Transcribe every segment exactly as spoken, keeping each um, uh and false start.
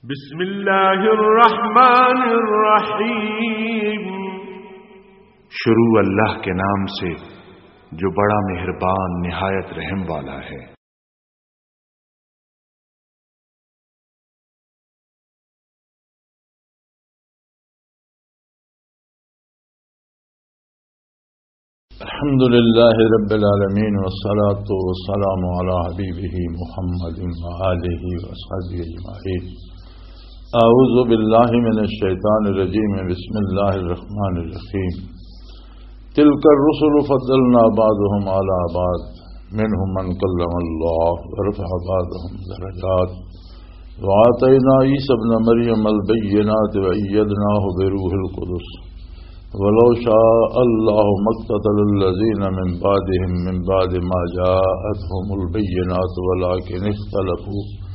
بسم اللہ الرحمن الرحیم۔ شروع اللہ کے نام سے جو بڑا مہربان نہایت رحم والا ہے۔ الحمد لله رب العالمين، والصلاة والسلام على حبيبه محمد وآله وصحبه أجمعين۔ أعوذ بالله من الشيطان الرجيم، بسم الله الرحمن الرحيم۔ تلك الرسل فضلنا بعضهم على بعض، منهم من كلم الله ورفع بعضهم درجات، وآتينا عيسى ابن مريم البينات وأيدناه بروح القدس، ولو شاء الله ما اقتتل الذين من بعدهم من بعد ما جاءتهم البينات ولكن اختلفوا،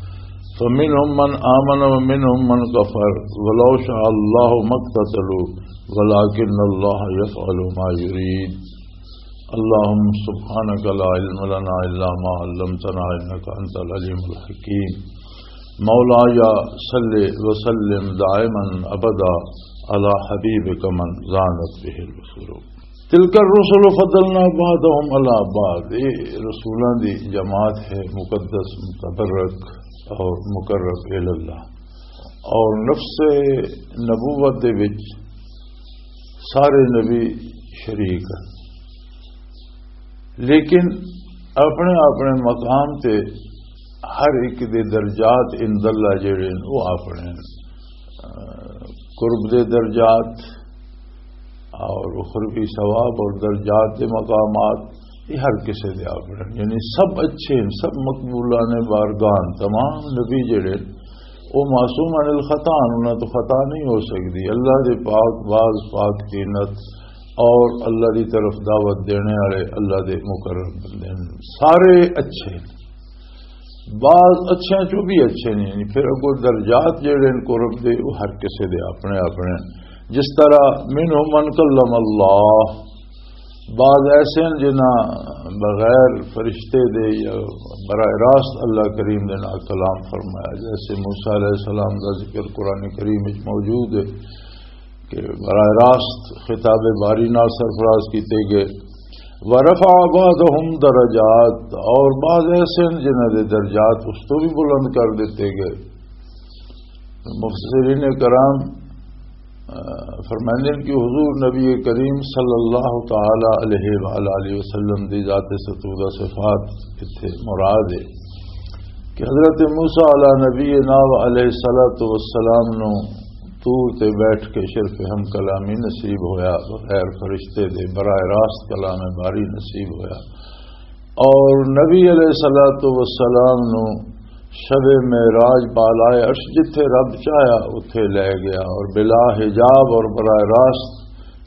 فمنهم من آمن ومنهم من كفر، ولو شاء الله ما اقتتلوا، ولكن الله يفعل ما يريد۔ اللهم سبحانك لا علم لنا إلا ما علمتنا إنك أنت العليم الحكيم۔ مولاي صل وسلم دائما أبدا على حبيبك من زانت به البصور۔ تلك الرسل فضلنا بعضهم على بعض، یہ رسولاں دی جماعت ہے، مقدس، متبرک اور مقرب الی اللہ۔ اور نفس نبوت دے وچ سارے نبی شریک ہیں، لیکن اپنے اپنے مقام تے ہر ایک دے درجات عند اللہ جڑے نے، وہ اپنے، آ، قرب دے درجات اور اخروی ثواب اور درجات دے مقامات، یہ ہر کسے دے اپنے، یعنی سب اچھے ہیں، سب مقبولان بارگاہ۔ تمام نبی جڑے وہ معصوم عن الخطا ہن، انہاں تو خطا نہیں ہو سکدی۔ اللہ دے پاک، باز پاک طینت اور اللہ دی طرف دعوت دینے والے اللہ دے مقرب بندے ہن۔ سارے اچھے ہن، باز اچھے چوں بھی اچھے نہیں۔ یعنی پھر اگوں درجات جڑے ہن قرب دے، وہ ہر کسے دے اپنے اپنے۔ جس طرح منهم من کلم اللہ، بعض ایسے ہیں جنہاں بغیر فرشتے دے یا براہ راست اللہ کریم دے نال کلام فرمایا، جیسے موسیٰ علیہ السلام دا ذکر قرآن کریم وچ موجود ہے کہ براہ راست خطاب باری نال سرفراز کیتے گئے۔ ورفع بعضهم درجات، اور بعض ایسے ہیں جنہاں دے درجات اس تو بھی بلند کر دیتے گئے۔ مفسرین کرام، آ، فرماندے ہیں کہ حضور نبی کریم صلی اللہ تعالی علیہ وآلہ وسلم دی ذات ستودہ صفات اتھے مراد ہے کہ حضرت موسیٰ علی نبینا و علیہ الصلوۃ والسلام نو طور تے بیٹھ کے شرف ہم کلامی نصیب ہویا، بغیر فرشتے دے براہ راست کلام باری نصیب ہویا۔ اور نبی علیہ الصلوۃ والسلام نو شب معراج بالائے عرش جتھے رب چاہیا اتھے لے گیا، اور بلا حجاب اور براہ راست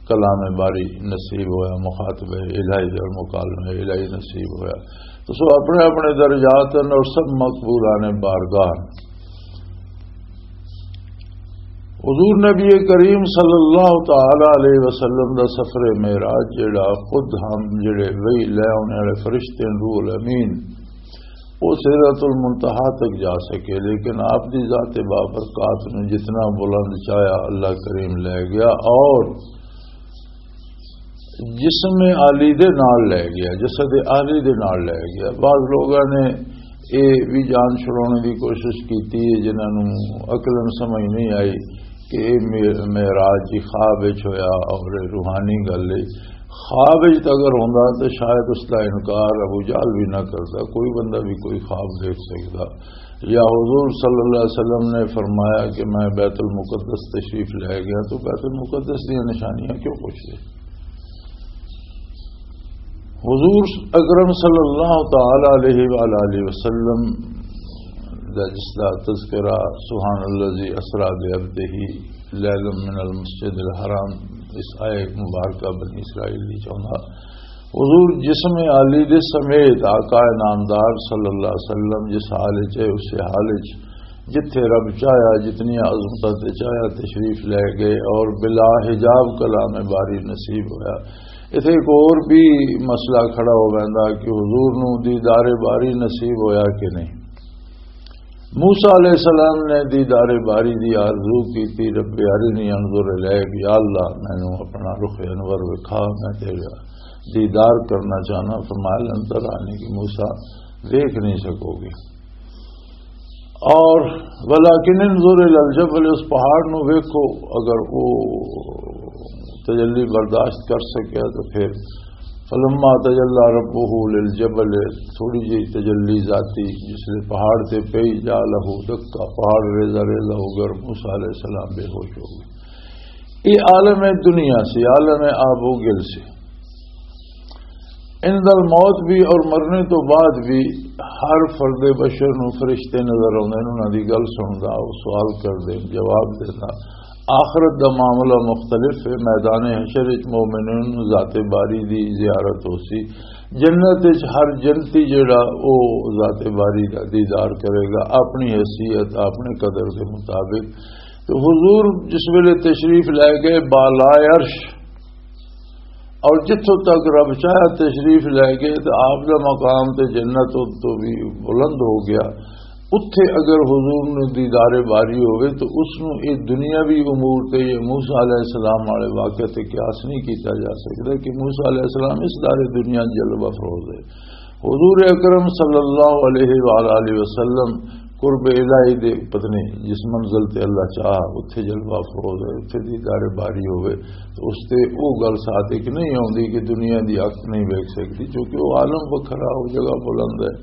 کلام باری نصیب ہویا، مخاطب الہی اور مکالمہ الہی نصیب ہویا۔ تو سو اپنے اپنے درجات ہیں اور سب مقبولان بارگاہ۔ حضور نبی کریم صلی اللہ تعالی علیہ وسلم دا سفر معراج جڑا خود ہم جڑے وہی لے آنے والے فرشتے ہیں، روح الامین، وہ سدرۃ المنتہا تک جا سکے، لیکن آپ دی ذات بابرکات نو جتنا بلند چاہیا اللہ کریم لے گیا، اور جسم عالی دے نال لے گیا، جسد عالی دے نال لے گیا۔ بعض لوگاں نے اے بھی جان چھڑانے دی کوشش کیتی ہے، جنہاں نوں عقلاً سمجھ نہیں آئی کہ اے مع-، معراج جی خواب وچ ہویا اور اے روحانی گل ہے۔ خواب وچ تے اگر ہوندا تے شاید اس دا انکار ابو جہل بھی نہ کردا، کوئی بندہ بھی کوئی خواب دیکھ سکدا۔ یا حضور صلی اللہ علیہ وسلم نے فرمایا کہ میں بیت المقدس تشریف لے گیا، تو بیت المقدس دی نشانیاں کیوں پوچھدے؟ حضور اکرم صلی اللہ تعالی علیہ وآلہ وسلم دا جس دا تذکرہ سبحان الذی اسری بعبدہ لیلا من المسجد الحرام اس آیت مبارکہ بنی اسرائیل دی چوندا، حضور جسم عالی دے سمیت آقا نامدار صلی اللہ علیہ وسلم جس حال وچ ہے، اس حال وچ جتھے رب چاہیا، جتنی عظمت تے چاہیا تشریف لے گئے اور بلا حجاب کلام باری نصیب ہویا۔ اتھے ایک اور بھی مسئلہ کھڑا ہو ویندا کہ حضور نو دیدار باری نصیب ہویا کہ نہیں؟ موسیٰ علیہ السلام نے دیدار باری دی آرزو کی تھی، "رب ارنی انظر الیک"، یا اللہ، مینوں اپنا رخ انور وکھا، میں تیرا دیدار کرنا چاہنا۔ فرمایا، "لن ترانی"، کہ موسیٰ دیکھ نہیں سکو گے۔ اور "ولیکن انظر الی الجبل"، اس پہاڑ نو ویکھو، اگر وہ تجلی برداشت کر سکیا تو پھر۔ فلما تجلی ربہ للجبل، تھوڑی جی تجلی ذاتی جس لے پہاڑ تے پئی، جعلہ دکا، پہاڑ ریزہ ریزہ ہو گیا اور موسیٰ علیہ السلام بے ہوش ہو گئے۔ یہ عالم دنیا سے، عالم آب و گل سے۔ عند الموت بھی اور مرنے تو بعد بھی ہر فرد بشر نو فرشتے نظر آتے ہیں، انہاں دی گل سندا، وہ سوال کردے، جواب دیندا۔ آخرت دا معاملہ مختلف ہے۔ میدان حشر وچ مومنین نوں ذات باری دی زیارت ہو سی۔ جنت وچ ہر جنتی جڑا، او ذات باری دا دیدار کرے گا اپنی حیثیت، اپنے قدر دے مطابق۔ تو حضور جس ویلے تشریف لے گئے بالا عرش، اور جتھوں تک رب چاہیا تشریف لے گئے، تو آپ دا مقام تے جنت تو بھی بلند ہو گیا۔ اتھے اگر حضور نوں دیدار باری ہوئے تو اس نوں یہ دنیاوی امور تے یہ موسیٰ علیہ السلام والے واقعے تے قیاس نہیں کیتا جا سکتا کہ موسیٰ علیہ السلام اس دار دنیا جلوہ افروز ہے۔ حضور اکرم صلی اللہ علیہ وآلہ وسلم قرب الہی دے پتنے جس منزل تے اللہ چاہ اتھے جلوہ افروز ہے، اتھے دیدار باری ہوئے تو اس تے او گل ساتھ ایک نہیں آوندی کہ دنیا دی اکھ نہیں ویکھ سکتی، کیونکہ وہ عالم وکھرا، وہ جگہ بلند ہے۔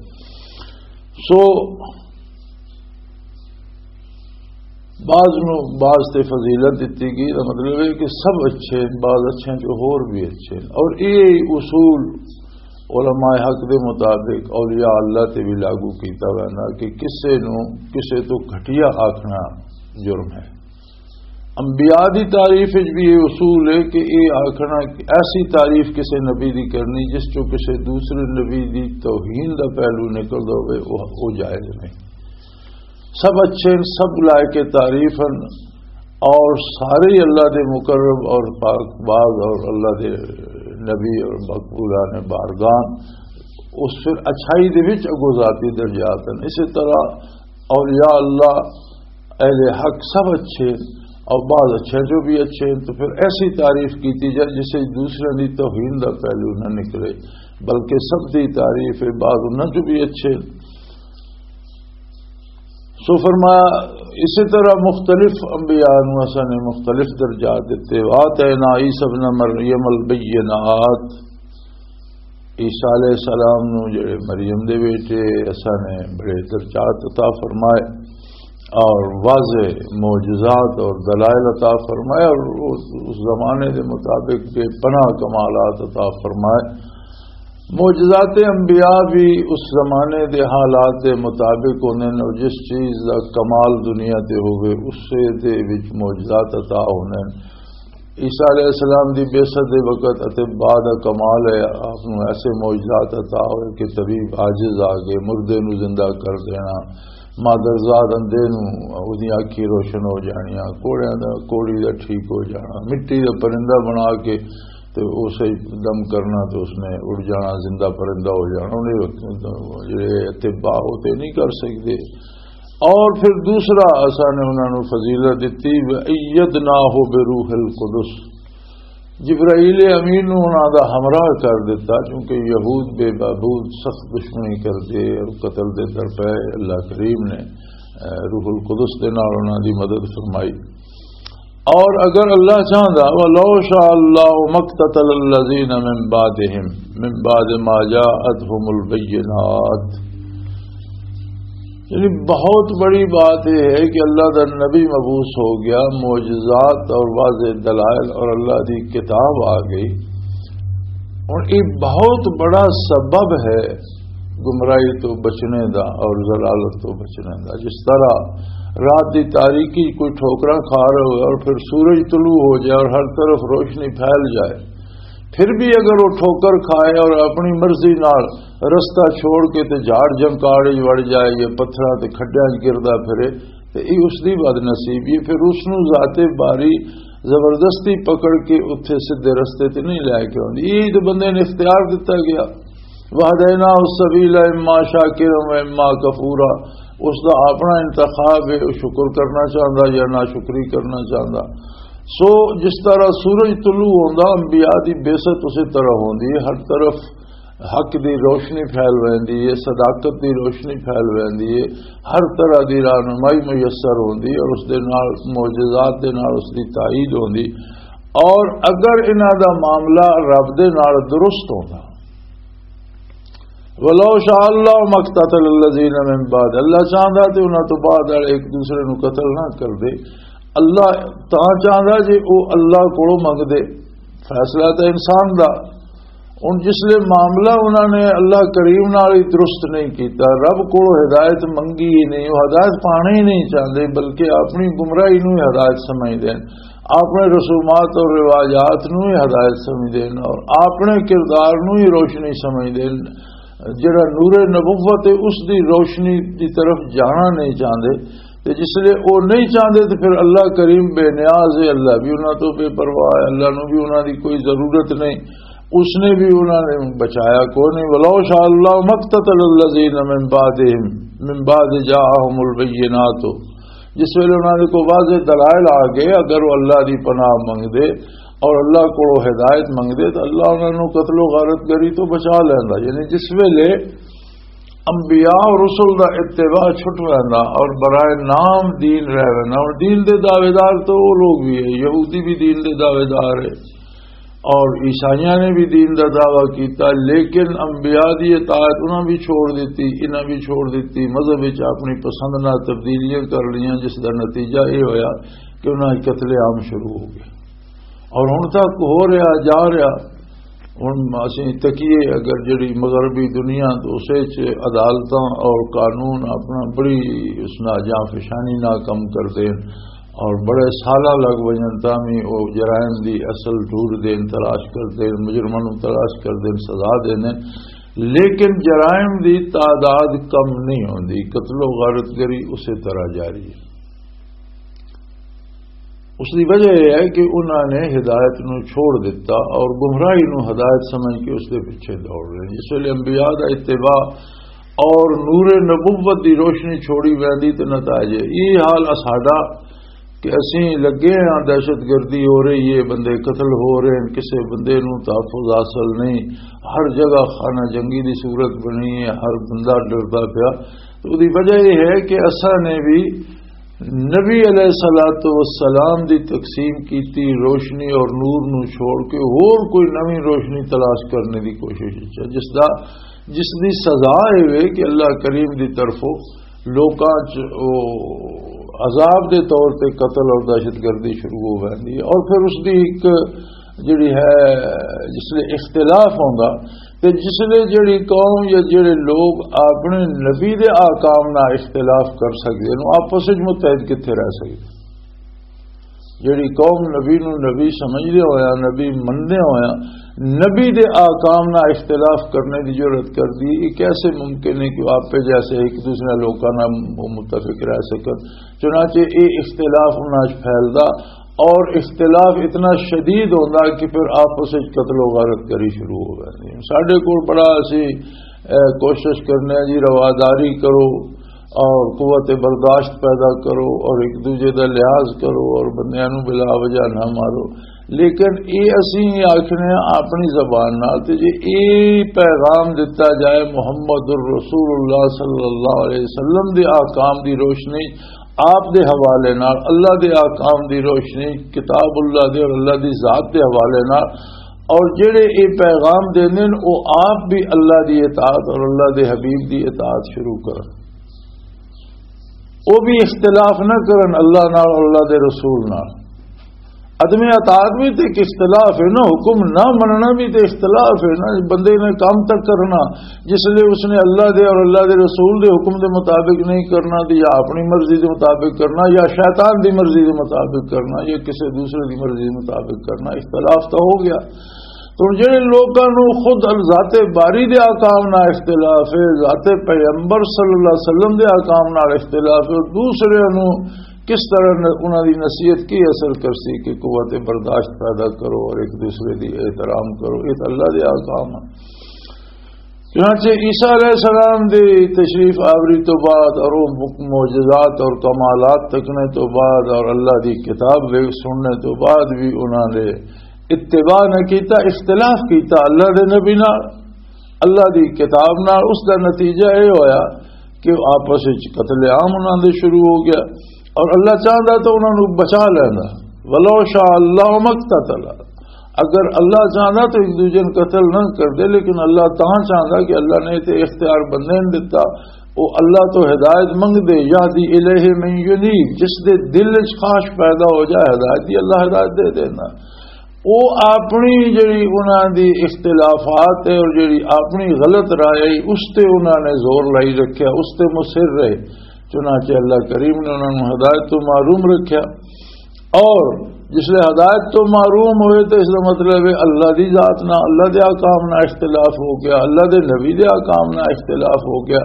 سو بعض نو بعض تے فضیلت دتی گئی، دا مطلب ہے کہ سب اچھے ہیں، بعض اچھے ہیں جو ہور بھی اچھے ہیں۔ اور یہ اصول علماء حق دے مطابق اولیاء اللہ تے بھی لاگو کیتا ویندا کہ کسے نو کسے تو گھٹیا آکھنا جرم ہے۔ انبیاء دی تعریف وچ بھی یہ اصول ہے کہ یہ آکھنا کہ ایسی تعریف کسے نبی دی کرنی جس چوں کسے دوسرے نبی دی توہین دا پہلو نکلدا ہوئے، وہ، وہ جائز نہیں۔ سب اچھے ہیں، سب لائق تعریف ہیں، اور سارے ہی اللہ دے مقرب اور پاک باز اور اللہ دے نبی اور مقبولان بارگاہ، اس پھر اچھائی دے وچ اگو ذاتی درجات ہیں۔ اسی طرح اولیاء اللہ، اہل حق سب اچھے ہیں، اور بعض اچھے جو بھی اچھے ہیں، تو پھر ایسی تعریف کیتی جائے جسے دوسرے دی توہین دا پہلو نہ نکلے، بلکہ سب دی تعریف ہے، بعض انہاں جو بھی اچھے ہیں۔ سو فرمایا، اسی طرح مختلف انبیاء نوں اساں نے مختلف درجات دتے۔ وآتینا عیسی ابن مریم البینات، عیسی علیہ السلام نوں جڑے مریم دے بیٹے، اساں نے بڑے درجات عطا فرمائے اور واضح معجزات اور دلائل عطا فرمائے، اور اس، اس زمانے دے مطابق بے پناہ کمالات عطا فرمائے۔ معجزات انبیاء بھی اس زمانے دے حالات دے مطابق ہوندے نے، اور جس چیز دا کمال دنیا تے ہوئے، اسے دے وچ معجزات عطا ہوندے نے۔ عیسیٰ علیہ السلام دی بعثت دے وقت اطباء دا کمال ہے، آپ نوں ایسے معجزات عطا ہوئے کہ طبیب عاجز آ گئے، مردے نوں زندہ کر دینا، مادرزاد اندھے نوں اودیاں اکھیں روشن ہو جانیاں، کوڑیاں دا، کوڑی دا ٹھیک ہو جانا، مٹی دا پرندہ بنا کے تے اسے دم کرنا تے اس نے اڑ جانا، زندہ پرندہ ہو جانا۔ انہیں وقت جڑے اطباء ہوتے نہیں کر سکتے۔ اور پھر دوسرا اساں نے انہاں نوں فضیلت دتی، "وَأَيَّدْنَاهُ بِرُوحِ الْقُدُسِ"، جبرائیل امین نوں انہاں دا ہمراہ کر دتا، کیونکہ یہود بے معبود سخت دشمنی کردے اور قتل دے در پے۔ اللہ کریم نے، اے، روح القدس دے نال انہاں دی مدد فرمائی۔ اور اگر اللہ چاہندا، "وَلَوْ شَاءَ اللَّهُ مَا اقْتَتَلَ الَّذِينَ مِن بَعْدِهِم، مِن بَعْدِ مَا جَاءَتْهُمُ الْبَيِّنَاتُ"، یعنی بہت بڑی بات یہ ہے کہ اللہ دا نبی مبعوث ہو گیا، معجزات اور واضح دلائل اور اللہ دی کتاب آ گئی۔ اور یہ بہت بڑا سبب ہے گمراہی تو بچنے دا اور ضلالت تو بچنے دا۔ جس طرح رات دی تاریکی کوئی ٹھوکراں کھا رہے ہو اور پھر سورج طلوع ہو جائے اور ہر طرف روشنی پھیل جائے، پھر بھی اگر وہ ٹھوکر کھائے اور اپنی مرضی نال رستہ چھوڑ کے تے جھاڑ جھنکاڑ وچ وڑ جائے یا پتھراں تے کھڈیاں وچ گردا پھرے، تے یہ اس دی بد نصیبی ہے۔ پھر اس نوں ذات باری زبردستی پکڑ کے اتھے سیدھے رستے تے نہیں لے کے آندی۔ یہ تے بندے نے اختیار دتا گیا، "وَهَدَيْنَاهُ السَّبِيلَ إِمَّا شَاكِرًا وَإِمَّا كَفُورًا"، اس دا اپنا انتخاب ہے، وہ شکر کرنا چاہندا یا ناشکری کرنا چاہندا۔ سو جس طرح سورج طلوع ہوندا، انبیاء دی بعثت اسی طرح ہوندی ہے۔ ہر طرف حق دی روشنی پھیل ویندی ہے، صداقت دی روشنی پھیل ویندی ہے، ہر طرح دی رہنمائی میسر ہوندی ہے اور اس دے نال، معجزات دے نال اس دی تائید ہوندی۔ اور اگر انہاں دا معاملہ رب دے نال درست ہوندا، ولو شاء اللہ مقتتل الذین من بعد، اللہ چاہندا تے انہاں تو بعد والے ایک دوسرے نو قتل نہ کردے۔ اللہ تاں چاہندا جے او اللہ کولوں منگدے، فیصلہ تے انسان دا۔ ہن جس لے معاملہ انہاں نے اللہ کریم نال ہی درست نہیں کیتا، رب کولوں ہدایت منگی ہی نہیں، وہ ہدایت پانا ہی نہیں چاہندے، بلکہ اپنی گمراہی نو ہی ہدایت سمجھدے ہن، اپنے رسومات اور رواجات نو ہی ہدایت سمجھدے ہن اور اپنے کردار نو ہی روشنی سمجھدے ہن۔ جڑا نور نبوت ہے، اس دی روشنی دی طرف جانا نہیں چاہندے۔ تے جس لے او نہیں چاہندے تے پھر اللہ کریم بے نیاز ہے، اللہ بھی انہاں تو بے پرواہ ہے، اللہ نو بھی انہاں دی کوئی ضرورت نہیں، اس نے بھی انہاں نے بچایا کوئی نہیں۔ ولو شاء اللہ مقتتل الذین من بعدہم، من بعد جاءہم البینات، جس ویلے انہاں دے کو واضح دلائل آ گئے، اگر وہ اللہ دی پناہ منگدے اور اللہ کو ہدایت منگدے تو اللہ انہاں نو قتل و غارت گری تو بچا لیندا۔ یعنی جس ویلے انبیاء اور رسل دا اتباع چھٹ ویندا اور برائے نام دین رہ ویندا۔ اور دین دے دعوے دار تو وہ لوگ بھی ہے، یہودی بھی دین دے دعوے دار ہے اور عیسائیاں نے بھی دین دا دعویٰ کیتا، لیکن انبیاء دی اطاعت انہاں بھی چھوڑ دتی، انہاں بھی چھوڑ دتی، مذہب وچ اپنی پسند نال تبدیلیاں کر لیاں، جس دا نتیجہ یہ ہویا کہ انہاں وچ قتل عام شروع ہو گیا۔ اور ہن تک ہو رہا، جا رہا۔ ہن اسیں تکیے اگر جڑی مغربی دنیا تو اس وچ عدالتاں اور قانون اپنا بڑی اس نال جاں فشانی نال کم کردے ہن اور بڑے سالاں لگ وجن تاں وی او جرائم دی اصل ڈھور دین، تلاش کردے ہن، مجرماں نوں تلاش کردے ہن، سزا دیندے ہن، لیکن جرائم دی تعداد کم نہیں ہوندی، قتل و غارت گری اسی طرح جاری ہے۔ اس دی وجہ یہ ہے کہ انہاں نے ہدایت نو چھوڑ دتا اور گمراہی نو ہدایت سمجھ کے اس دے پیچھے دوڑ رہے ہیں۔ جس ویلے انبیاء دا اتباع اور نور نبوت دی روشنی چھوڑی ویندی تے نتائج ہے۔ یہ حال اساڈا کہ اسیں لگے ہاں، دہشت گردی ہو رہی ہے، بندے قتل ہو رہے ہیں، کسے بندے نو تحفظ حاصل نہیں، ہر جگہ خانہ جنگی دی صورت بنی ہے، ہر بندہ ڈردا پیا۔ تو دی وجہ یہ ہے کہ اساں نے بھی نبی علیہ الصلوۃ والسلام دی تقسیم کیتی روشنی اور نور نو چھوڑ کے ہور کوئی نویں روشنی تلاش کرنے دی کوشش وچ ہے، جس دا، جس دی سزا اے وے کہ اللہ کریم دی طرفوں لوکاں چ او عذاب دے طور تے قتل اور دہشت گردی شروع ہو ویندی ہے۔ اور پھر اس دی ایک جڑی ہے، جس لے اختلاف ہوندا، تے جس لے جڑی قوم یا جڑے لوگ اپنے نبی دے احکام نال اختلاف کر سکدے نو، آپس وچ متحد کتھے رہ سکدے؟ جڑی قوم نبی نو نبی سمجھدے ہویا، نبی مندے ہویا، نبی دے احکام نال اختلاف کرنے دی جرات کردی، یہ کیسے ممکن ہے کہ آپے جیسے ایک دوسرے لوکاں نال متفق رہ سکن؟ چنانچہ یہ اختلاف انہاں وچ پھیلدا اور اختلاف اتنا شدید ہوندا کہ پھر آپس وچ قتل و غارت گری شروع ہو جاندی ہے۔ ساڈے کول بڑا اسی، اے، کوشش کرنے ہیں جی، رواداری کرو اور قوت برداشت پیدا کرو اور ایک دوجے دا لحاظ کرو اور بندیاں نوں بلا وجہ نہ مارو۔ لیکن یہ اسی آخنے ہیں اپنی زبان نال، تے جے یہ پیغام دتا جائے محمد الرسول اللہ صلی اللہ علیہ وسلم دے احکام دی روشنی، آپ دے حوالے نال، اللہ دے احکام دی روشنی، کتاب اللہ دے اور اللہ دی ذات دے حوالے نال، اور جڑے یہ پیغام دیندے نے، وہ آپ بھی اللہ دی اطاعت اور اللہ دے حبیب دی اطاعت شروع کرن۔ وہ بھی اختلاف نہ کرن اللہ نال اور اللہ دے رسول نال۔ عدم اطاعت بھی تے ایک اختلاف ہے نا، حکم نہ مننا بھی تے اختلاف ہے نا۔ بندے نے کام تک کرنا، جس لئے اس نے اللہ دے اور اللہ دے رسول دے حکم دے مطابق نہیں کرنا، تے یا اپنی مرضی دے مطابق کرنا، یا شیطان دی مرضی دے مطابق کرنا، یا کسی دوسرے دی مرضی دے مطابق کرنا، اختلاف تو ہو گیا۔ تو جڑے لوگاں نوں خود ذات باری دے احکام نال اختلاف ہے، ذات پیغمبر صلی اللہ علیہ وسلم دے احکام نال اختلاف ہے، دوسرے نوں کس طرح ن-، انہاں دی نصیحت کی اثر کر سی کہ قوت برداشت پیدا کرو اور ایک دوسرے دی احترام کرو، یہ تو اللہ دے احکام ہیں۔ چنانچہ عیسیٰ علیہ السلام دی تشریف آوری تو بعد اور وہ معجزات اور کمالات تکنے تو بعد اور اللہ دی کتاب بھی سننے تو بعد بھی انہاں نے اتباع نہ کیتا، اختلاف کیتا اللہ دے نبی نال، اللہ دی کتاب نال۔ اس دا نتیجہ یہ ہویا کہ آپس وچ قتل عام انہاں دے شروع ہو گیا، اور اللہ چاہندا تو انہاں نوں بچا لیندا۔ ولو شاء اللہ مقتتل، اگر اللہ چاہندا تو ایک دوجے نوں قتل نہ کردے، لیکن اللہ تاں چاہندا کہ اللہ نے تے اختیار بندے نوں دتا، وہ اللہ تو ہدایت منگدے، یہدی الیہ من ینیب، جس دے دل وچ خواہش پیدا ہو جائے ہدایت دی، اللہ ہدایت دے دینا۔ وہ اپنی جڑی انہاں دی اختلافات ہے اور جڑی اپنی غلط رائے ہے، اس تے انہاں نے زور لائی رکھیا، اس تے مصر رہے۔ چنانچہ اللہ کریم نے انہاں نوں ہدایت تو محروم رکھیا۔ اور جس لے ہدایت تو محروم ہوئے تو اس دا مطلب ہے اللہ دی ذات نہ، اللہ دے احکام نہ اختلاف ہو گیا، اللہ دے نبی دے احکام نہ اختلاف ہو گیا۔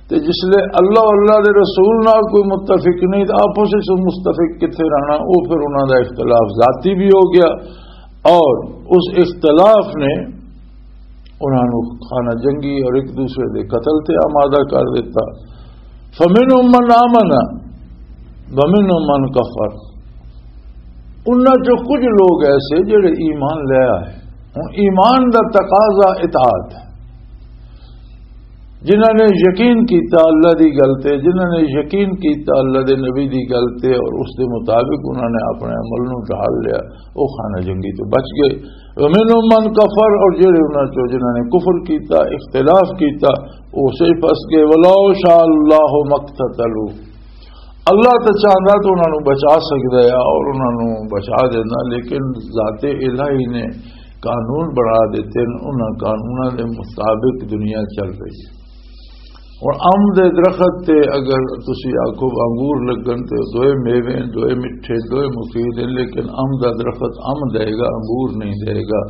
تے جس لے اللہ اور اللہ دے رسول نال کوئی متفق نہیں، تے آپس وچ متفق کتھے رہنا؟ او پھر انہاں دا اختلاف ذاتی بھی ہو گیا، اور اس اختلاف نے انہاں نوں خانہ جنگی اور ایک دوسرے دے قتل تے آمادہ کر دیتا۔ فمنهم من آمن ومنهم من کفر، انہاں چوں کچھ لوگ ایسے جڑے ایمان لے آئے۔ ہن ایمان دا تقاضا اطاعت ہے۔ جنہاں نے یقین کیتا اللہ دی گل تے، جنہاں نے یقین کیتا اللہ دے نبی دی گل تے اور اس دے مطابق انہاں نے اپنے عمل نوں ڈھال لیا، وہ خانہ جنگی تو بچ گئے۔ ومنهم من کفر، اور جڑے انہاں چوں جنہاں نے کفر کیتا، اختلاف کیتا، وہ اسے پھس گئے۔ ولو شاء اللہ مقتتلوا، اللہ تے چاہندا تو انہاں نوں بچا سکدا ہے اور انہاں نوں بچا دینا، لیکن ذات الہی نے قانون بنا دیتے ہیں، انہاں قانوناں دے مطابق دنیا چل رہی ہے۔ اور ام دے درخت تے اگر تسی آکھو انگور لگن تے دوئے میوے ہیں، دوئے مٹھے، دوئے مفید ہیں، لیکن ام دا درخت ام دے گا، انگور نہیں دے گا۔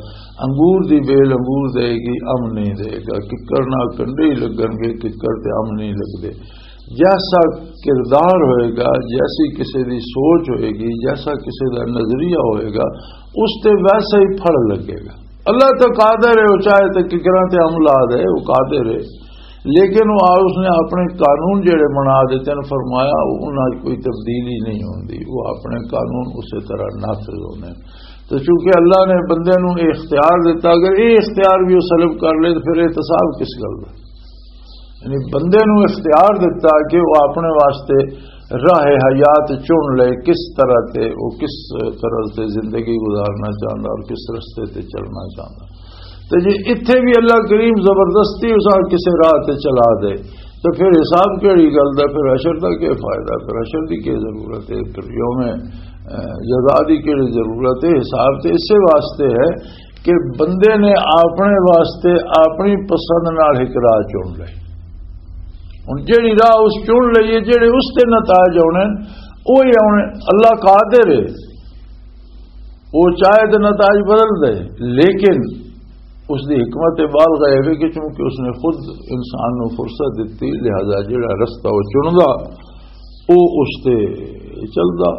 انگور دی بیل انگور دے گی، ام نہیں دے گا۔ ککڑ نہ کنڈے ہی لگن گے، ککڑ تے ام نہیں لگدے۔ جیسا کردار ہوئے گا، جیسی کسی دی سوچ ہوئے گی، جیسا کسی دا نظریہ ہوئے گا، اس تے ویسا ہی پھل لگے گا۔ اللہ تو قادر ہے، وہ چاہے تو ککراں تے ام لا دے، وہ قادر ہے۔ لیکن وہ آ-، اس نے اپنے قانون جڑے بنا دیتے ہیں، فرمایا، وہ انہاں 'چ کوئی تبدیلی نہیں ہوندی، وہ اپنے قانون اسی طرح نافذ ہونے۔ تو چونکہ اللہ نے بندے نوں یہ اختیار دیتا، اگر یہ اختیار بھی وہ سلب کر لے تو پھر احتساب کس گل دا؟ یعنی بندے نوں اختیار دتا کہ وہ اپنے واسطے راہ حیات چن لے، کس طرح تے وہ کس طرح تے زندگی گزارنا چاہندا اور کس رستے تے چلنا چاہندا۔ تے جے اتھے بھی اللہ کریم زبردستی اس کسے راہ تے چلا دے، تو پھر حساب کیڑی گل دا؟ پھر حشر دا کیا فائدہ؟ پھر حشر دی کیا ضرورت ہے؟ پھر یوم، اہ، جزا دی کیڑی ضرورت ہے؟ حساب تے اسے واسطے ہے کہ بندے نے اپنے واسطے اپنی پسند نال ایک راہ چن لئی۔ ہن جیڑی راہ اس چن لئی ہے، جیڑے اس تے نتائج آنے، وہی آنے۔ اللہ قادر ہے، وہ چاہے تو نتائج بدل دے، لیکن اس دی حکمت بالغ ہے کہ چونکہ اس نے خود انسان نو فرصت دتی، لہذا جیڑا رستہ وہ چندا، وہ اس تے چلدا۔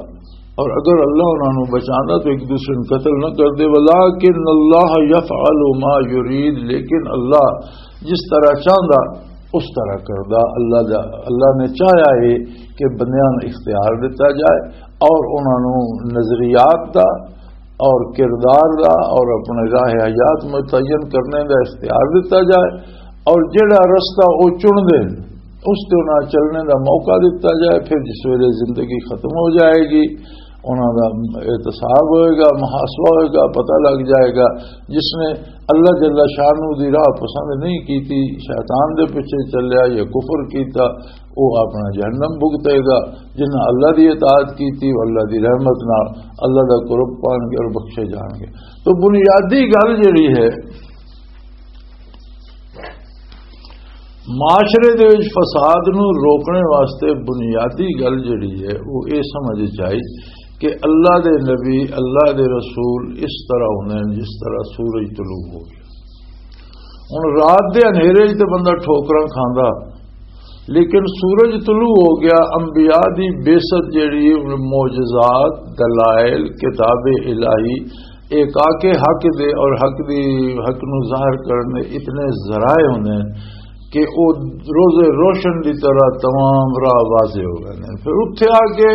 اور اگر اللہ انہاں نوں بچاندا تو ایک دوسرے نوں قتل نہ کردے۔ ولیکن اللہ یفعل ما یرید، لیکن اللہ جس طرح چاہندا اس طرح کردا۔ اللہ دا، اللہ نے چاہیا ہے کہ بندیاں نوں اختیار دتا جائے اور انہاں نوں نظریات دا اور کردار دا اور اپنے راہ حیات متعین کرنے دا اختیار دتا جائے، اور جڑا رستہ وہ چن دے اس تے انہاں چلنے دا موقع دتا جائے۔ پھر جس ویلے زندگی ختم ہو جائے گی، انہاں دا احتساب ہوئے گا، محاسبہ ہوئے گا، پتہ لگ جائے گا۔ جس نے اللہ جل شانہ دی راہ پسند نہیں کیتی، شیطان دے پیچھے چلیا یا کفر کیتا، وہ اپنا جہنم بھگتے گا۔ جنہاں اللہ دی اطاعت کیتی، وہ اللہ دی رحمت نال اللہ دا قرب پان گے اور بخشے جان گے۔ تو بنیادی گل جڑی ہے، معاشرے دے وچ فساد نو روکنے واسطے بنیادی گل جڑی ہے، وہ یہ سمجھ چاہیے کہ اللہ دے نبی، اللہ دے رسول اس طرح ہوندے ہیں جس طرح سورج طلوع ہو گیا۔ ہن رات دے اندھیرے وچ تے بندہ ٹھوکراں کھاندا، لیکن سورج طلوع ہو گیا، انبیاء دی بعثت جڑی، معجزات، دلائل، کتاب الہی، ایک آ کے حق دے اور حق دی، حق نو ظاہر کرنے اتنے ذرائع ہوندے ہیں کہ او روز روشن دی طرح تمام راہ واضح ہو گئے ہیں۔ پھر اتھے آ کے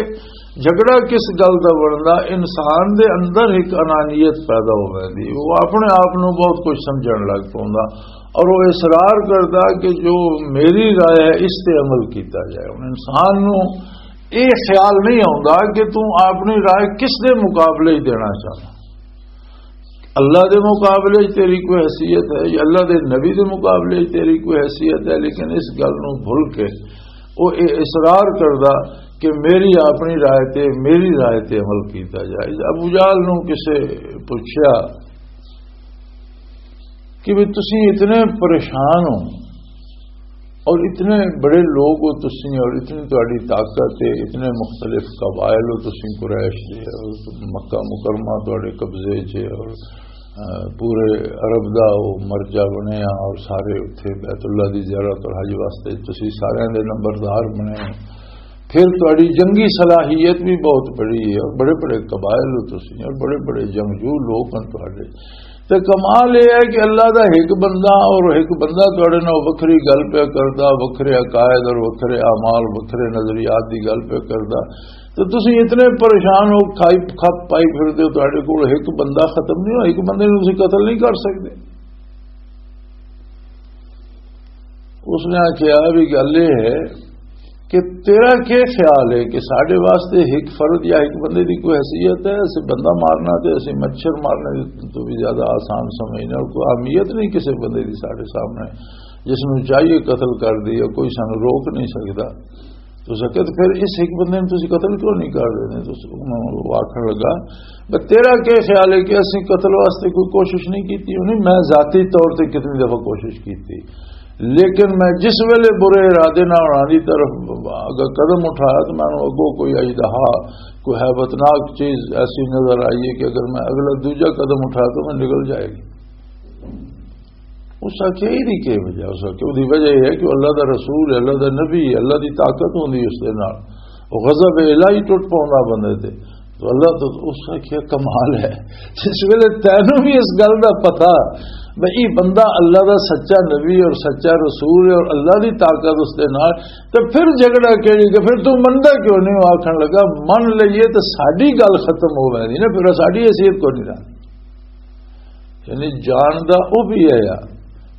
جھگڑا کس گل دا بندا؟ انسان دے اندر ایک انانیت پیدا ہو ویندی، وہ اپنے آپ نو بہت کچھ سمجھن لگ پوندا اور وہ اصرار کردا کہ جو میری رائے ہے، اس تے عمل کیتا جائے۔ ہن انسان نو یہ خیال نہیں آتا کہ تم اپنی رائے کس دے مقابلے وچ دینا چاہتا۔ اللہ دے مقابلے وچ تیری کوئی حیثیت ہے یا اللہ دے نبی دے مقابلے وچ تیری کوئی حیثیت ہے، لیکن اس گل نو بھول کے وہ یہ اصرار کردا کہ میری اپنی رائے تے، میری رائے تے عمل کیتا جائے۔ ابو جہل نو کسے پوچھیا کہ بھی تسی اتنے پریشان ہو اور اتنے بڑے لوگ ہو تسی اور اتنی تہاڈی طاقت ہے، اتنے مختلف قبائل ہو تسی قریش دے، اور مکہ مکرمہ تہاڈے قبضے چ ہے، اور، آ، پورے عرب دا وہ مرجع بنے آ، اور سارے اتھے بیت اللہ دی زیارت اور حج واسطے تسی سارے دے نمبردار بنے ہو۔ پھر تہاڈی جنگی صلاحیت بھی بہت بڑی ہے، اور بڑے بڑے قبائل ہو تسی اور بڑے بڑے جنگجو لوگ ہیں تہاڈے۔ تے کمال یہ ہے کہ اللہ دا ایک بندہ اور ایک بندہ تہاڈے نال وکھری گل پیا کردا، وکھرے عقائد اور وکھرے اعمال، وکھرے نظریات دی گل پیا کردا، تے تسی اتنے پریشان ہو، کھائی کھپ پائی پھردے ہو، تہاڈے کول ایک بندہ ختم نہیں ہو، ایک بندے نوں تسی قتل نہیں کر سکدے۔ اس نے آخیا بھی گل یہ ہے کہ تیرا کیا خیال ہے کہ ساڈے واسطے ایک فرد یا ایک بندے دی کوئی حیثیت ہے؟ اسے بندہ مارنا تے اسے مچھر مارنے تو بھی زیادہ آسان سمجھنے، اور کوئی اہمیت نہیں کسی بندے دی ساڈے سامنے، جس نوں چاہیے قتل کر دئیے، کوئی سانوں روک نہیں سکدا۔ تو سکے تو پھر اس ایک بندے نوں تسی قتل کیوں نہیں کر دیندے؟ تو انہوں نے آخر لگا، "بس تیرا کیا خیال ہے کہ اسی قتل واسطے کوئی کوشش نہیں کیتی؟" انہیں، "میں ذاتی طور تے کتنی دفعہ کوشش کیتی، لیکن میں جس ویلے برے ارادے نال انہاں دی طرف اگر قدم اٹھایا تو میں اگوں کوئی اژدہا، کوئی ہیبتناک چیز ایسی نظر آئی ہے کہ اگر میں اگلا دوجا قدم اٹھایا تو میں نکل جائے گی۔" اس آخیا، "یہ دی کی وجہ؟" اس آخیا، "وہ دی وجہ یہ ہے کہ وہ اللہ دا رسول ہے، اللہ دا نبی ہے، اللہ دی طاقت ہوندی اس دے نال، وہ غضب الہی ٹوٹ پوندا بندے تے۔" تو اللہ تو اس آخیا، "کمال ہے۔" جس ویلے تینوں بھی اس گل دا پتہ بھئی یہ بندہ اللہ دا سچا نبی اور سچا رسول ہے اور اللہ دی طاقت اس دے نال، تو پھر جھگڑا کیڑی؟ کہ پھر تو مندا کیوں نہیں؟ وہ آکھن لگا، "من لئیے تو ساڈی گل ختم ہو ویندی نا، پھر ساڈی حیثیت کو نہیں رہا۔" یعنی جاندا او بھی ہے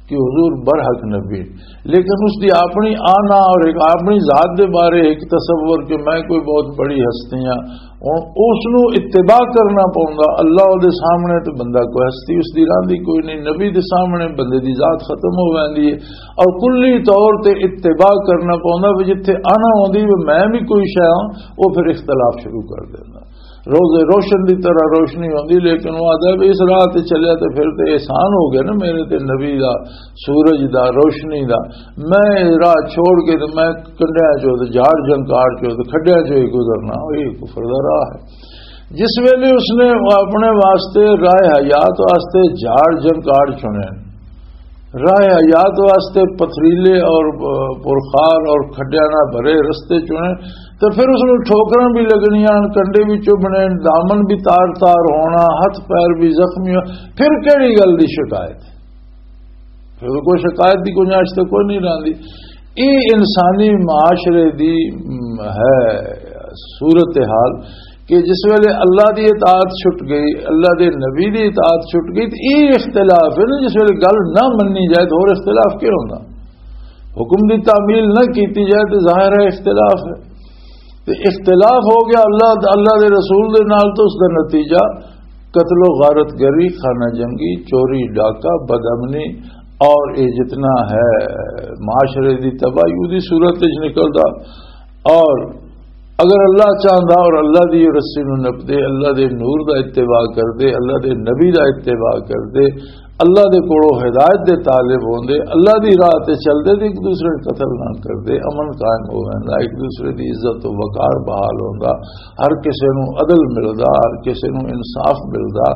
کہ حضور برحق نبی، لیکن اس دی اپنی آنا اور ایک اپنی ذات دے بارے ایک تصور کہ میں کوئی بہت بڑی ہستی ہاں، ہن اس نو اتباع کرنا پوندا۔ اللہ دے سامنے تے بندہ کوئی ہستی اس دی راندی کوئی نہیں، نبی دے سامنے بندے دی ذات ختم ہو ویندی ہے اور کلی طور تے اتباع کرنا پوندا۔ وی جتھے آنا ہوندی وی میں بھی کوئی شے ہاں، وہ پھر اختلاف شروع کر دیندا۔ روزے روشن دی طرح روشنی ہوندی، لیکن وہ آدھا بھی اس راہ تے چلیا تے پھر تے احسان ہو گیا نا میرے تے، نبی دا، سورج دا، روشنی دا۔ میں راہ چھوڑ کے تے میں کنڈیاں چوں تے جھاڑ جھنکار چوں تے کھڈیاں چوں ہی گزرنا، یہ کفر دا راہ ہے۔ جس ویلے اس نے اپنے واسطے، راہ حیات واسطے جھاڑ جھنکار چنے، راہ حیات واسطے پتھریلے اور پرخار اور کھڈیاں نال بھرے رستے چنے، تے پھر اس نوں ٹھوکراں بھی لگنیاں، کنڈے بھی چبھنے، دامن بھی تار تار ہونا، ہتھ پیر بھی زخمی ہونا، پھر کہڑی گل دی شکایت؟ پھر کوئی شکایت دی گنجائش تے کوئی نہیں رہندی۔ یہ انسانی معاشرے دی، م، ہے صورتحال کہ جس ویلے اللہ دی اطاعت چھٹ گئی، اللہ دے نبی دی اطاعت چھٹ گئی، تے یہ اختلاف ہے نا، جس ویلے گل نہ مننی جائے تو اور اختلاف کیا ہونا؟ حکم دی تعمیل نہ کیتی جائے تو ظاہر ہے اختلاف ہے۔ تے اختلاف ہو گیا اللہ، اللہ دے رسول دے نال، تو اس دا نتیجہ قتل و غارت گری، خانہ جنگی، چوری، ڈاکہ، بدامنی اور یہ جتنا ہے معاشرے دی تباہی، اودی صورت وچ نکلدا۔ اور اگر اللہ چاہندا اور اللہ دی رسی نوں نپدے، اللہ دے نور دا اتباع کردے، اللہ دے نبی دا اتباع کردے، اللہ دے کولوں ہدایت دے طالب ہوندے، اللہ دی راہ تے چلدے تے ایک دوسرے نوں قتل نہ کردے، امن قائم ہو ویندا، ایک دوسرے دی عزت و وقار بحال ہوندا، ہر کسے نوں عدل ملدا، ہر کسے نوں انصاف ملدا،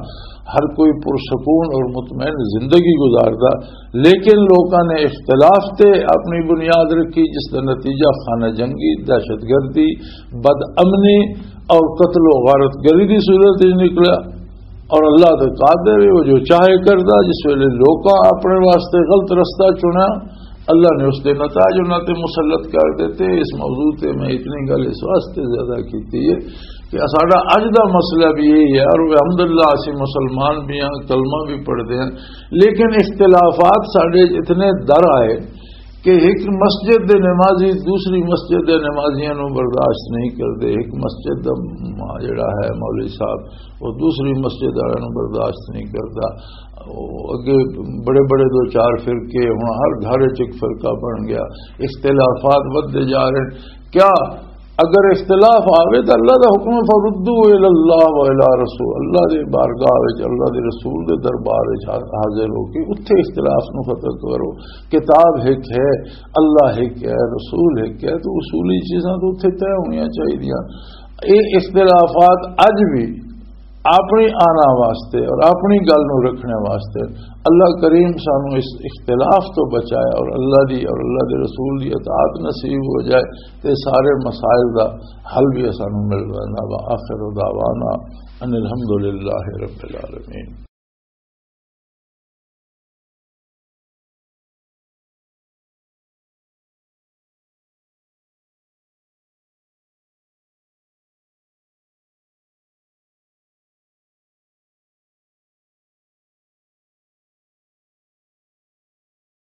ہر کوئی پرسکون اور مطمئن زندگی گزاردا۔ لیکن لوکاں نے اختلاف تے اپنی بنیاد رکھی، جس دا نتیجہ خانہ جنگی، دہشت گردی، بد امنی اور قتل و غارت گری دی صورت وچ نکلا۔ اور اللہ تے قادر ہے، وہ جو چاہے کردا۔ جس ویلے لوکاں اپنے واسطے غلط رستہ چنا، اللہ نے اس دے نتائج انہاں تے مسلط کر دیتے۔ اس موضوع تے میں اتنی گل اس واسطے زیادہ کیتی ہے کہ ساڈا اج دا مسئلہ بھی یہی ہے، اور الحمدللہ اسی مسلمان بھی ہیں، کلمہ بھی پڑھتے ہیں، لیکن اختلافات ساڈے اتنے در آئے کہ ایک مسجد دے نمازی دوسری مسجد دے نمازیاں نو برداشت نہیں کردے۔ ایک مسجد دا م-، جڑا ہے مولوی صاحب، وہ دوسری مسجد والے نو برداشت نہیں کردا۔ وہ اگے بڑے بڑے دو چار فرقے، ہن ہر گھر وچ ایک فرقہ بن گیا، اختلافات ودھدے جا رہے ہیں۔ کیا اگر اختلاف آوے تو اللہ دا حکم ہے، "فردو الی اللہ و الی رسول"، اللہ دے بارگاہ وچ، اللہ دے رسول دے دربار وچ حا-، حاضر ہو کے اتھے اختلاف نو ختم کرو۔ کتاب ایک ہے، اللہ ایک ہے، رسول ایک ہے، تو اصولی چیزاں تو اتھے طے ہونیاں چاہیدیاں۔ یہ اختلافات اج بھی اپنی آنا واسطے اور اپنی گل نو رکھنے واسطے اللہ کریم سانو اس اختلاف تو بچائے اور اللہ دی اور اللہ دے رسول دی اطاعت نصیب ہو جائے، تے سارے مسائل دا حل بھی سانو مل جائے۔ وآخر دعوانا ان الحمدللہ رب العالمین۔